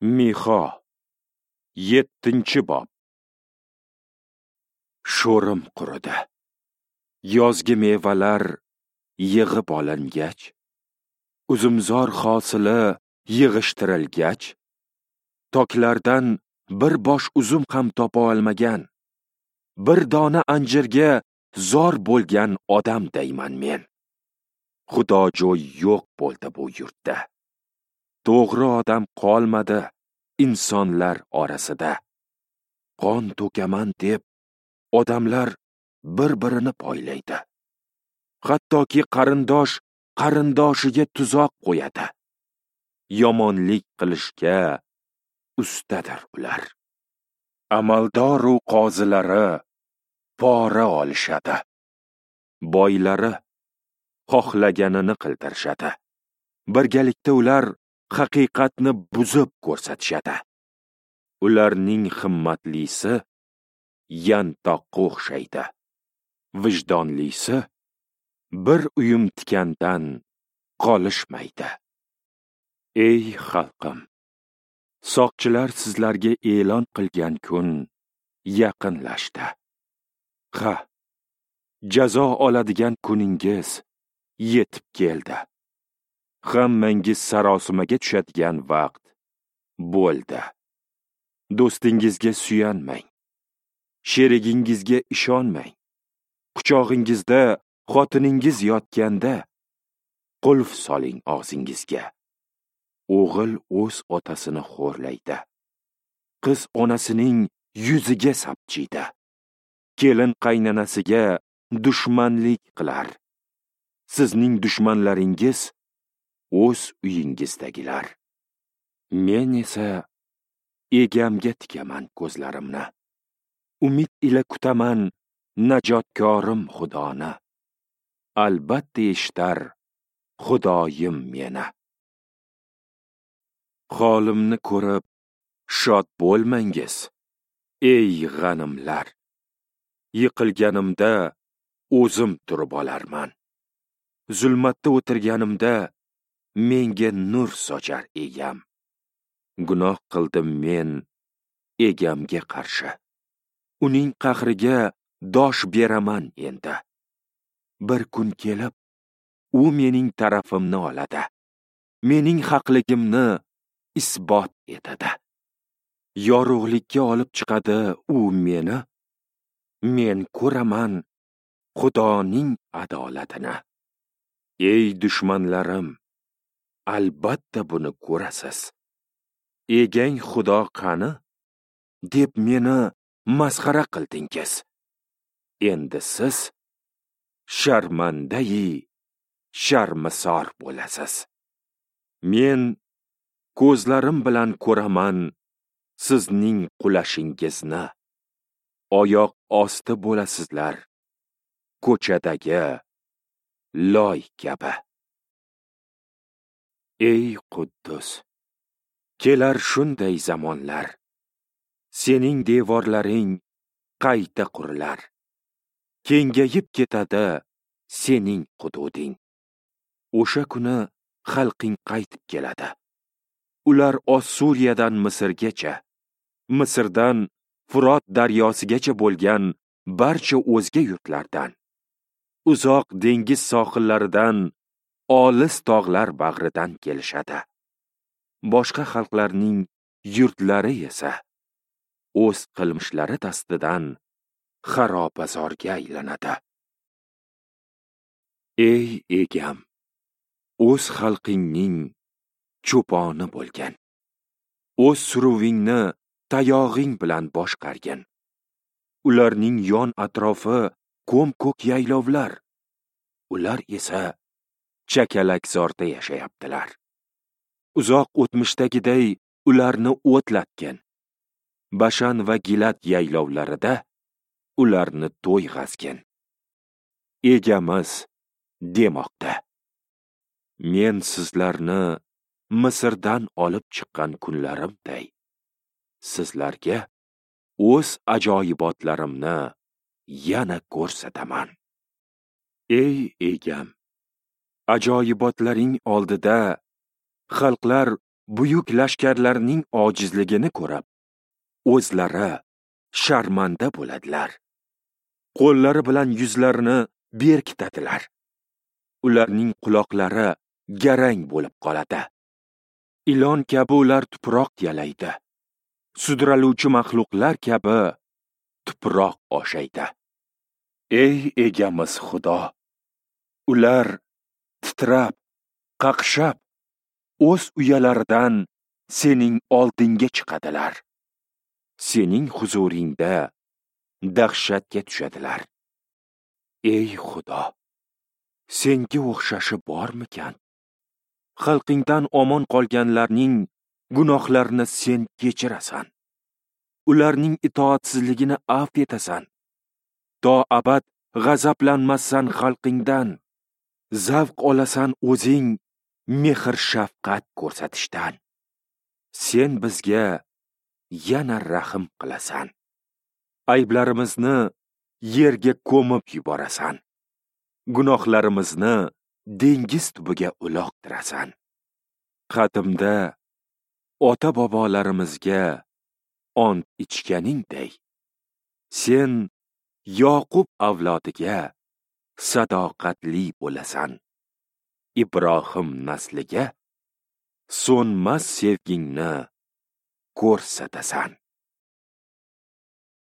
Mixo, 7-bob. Sho'rim quridi. Yozgi mevalar yig'ib olingach, uzumzor hosili yig'ishtirilgach, toklardan bir bosh uzum ham topa olmagan, bir dona anjirga zor bo'lgan odamdayman men. Xudojo'y yo'q bo'ldi bu yurtda. To'g'ri odam qolmadi insonlar orasida. Qon to'kaman deb odamlar bir-birini poylaydi. Hattoki qarindosh qarindoshiga tuzoq qo'yadi. Yomonlik qilishga ustadir ular. Amaldor u qozilari pora olishadi. Boylari xohlaganini qildirishadi. Birgalikda ular haqiqatni buzib ko'rsatishadi. Ularning himmatlisi yantoqqa o'xshaydi. Vijdonlisi bir uyum tikandan qolishmaydi. Ey xalqim, soqchilar sizlarga e'lon qilgan kun yaqinlashdi. Ha, jazo oladigan kuningiz yetib keldi. Hammangiz sarosimaga tushadigan vaqt bo'ldi. Do'stingizga suyanmang, sherigingizga ishonmang. Quchog'ingizda xotiningiz yotganda qulf soling og'zingizga. O'g'il o'z otasini xo'rlaydi. Qiz onasining yuziga sapchiydi. Kelin qaynanasiga dushmanlik qilar. Sizning dushmanlaringiz o'z uyingizdagilar. Men esa egamga tikaman ko'zlarimni. Umid ila kutaman najotkorim Xudoni. Albatta eshitar Xudoyim meni. Holimni ko'rib shod bo'lmangiz, ey g'animlar. Yiqilganimda o'zim turib olarman. Zulmatda o'tirganimda menga nur sochar egam. Gunoh qildim men egamga qarshi. Uning qahriga dosh beraman endi. Bir kun kelib u mening tarafimni oladi. Mening haqligimni isbot etadi. Yorug'likka olib chiqadi u meni. Men ko'raman Xudoning adolatini. Ey dushmanlarim, albatta buni ko'rasiz. Egang Xudo qani? Deb meni masxara qildingiz. Endi siz sharmandayi sharmisor bo'lasiz. Men ko'zlarim bilan ko'raman sizning qulashingizni. Oyoq osti bo'lasizlar ko'chadagi loy kabi. Ey Quddus, kelar shunday zamonlar, sening devorlaring qayta qurilar. Kengayib ketadi sening hududing. O'sha kuni xalqing qaytib keladi. Ular Ossuriyadan Misrgacha, Misrdan Furot daryosigacha bo'lgan barcha o'zga yurtlardan, uzoq dengiz sohillaridan, olis tog'lar bag'ridan kelishadi. Boshqa xalqlarning yurtlari esa o'z qilmishlari dastidan xarobazorga aylanadi. Ey egam, o'z xalqingning cho'poni bo'lgan, o'z suruvingni tayog'ing bilan boshqargin. Ularning yon atrofi ko'm-ko'k yaylovlar, ular esa chakalakzorda yashayaptilar. Uzoq o'tmishdagiday ularni o'tlatgin. Bashan va Gilad yaylovlarida ularni to'yg'azgin. Egamiz demoqda: Men sizlarni Misrdan olib chiqqan kunlarimday sizlarga o'z ajoyibotlarimni yana ko'rsataman. Ey egam, ajoyibotlaring oldida xalqlar Buyuk lashkarlarning ojizligini ko'rib, o'zlari sharmanda bo'ladilar. Qo'llari bilan yuzlarini berkitadilar. Ularning quloqlari garang bo'lib qoladi. Ilon kabi ular tuproq yalaydi. Sudraluvchi maxluqlar kabi tuproq oshaydi. Ey egamiz Xudo, ular titrab, qaqshab, o'z uyalaridan sening oldingga chiqadilar. Sening huzuringda dahshatga tushadilar. Ey Xudo, senga o'xshashi bormikan? Xalqingdan omon qolganlarning gunohlarini sen kechirasan. Ularning itoatsizligini afv etasan. To abad g'azablanmassan xalqingdan. Zavq olasan o'zing mehr shafqat ko'rsatishdan. Sen bizga yana rahm qilasan. Ayblarimizni yerga ko'mib yuborasan. Gunohlarimizni dengiz tubiga uloqtirasan. Qadimda ota-bobolarimizga ont ichganingday, sen Yoqub avlodiga sadoqatli bo'lasan. Ibrohim nasliga so'nmas sevgingni ko'rsatasan.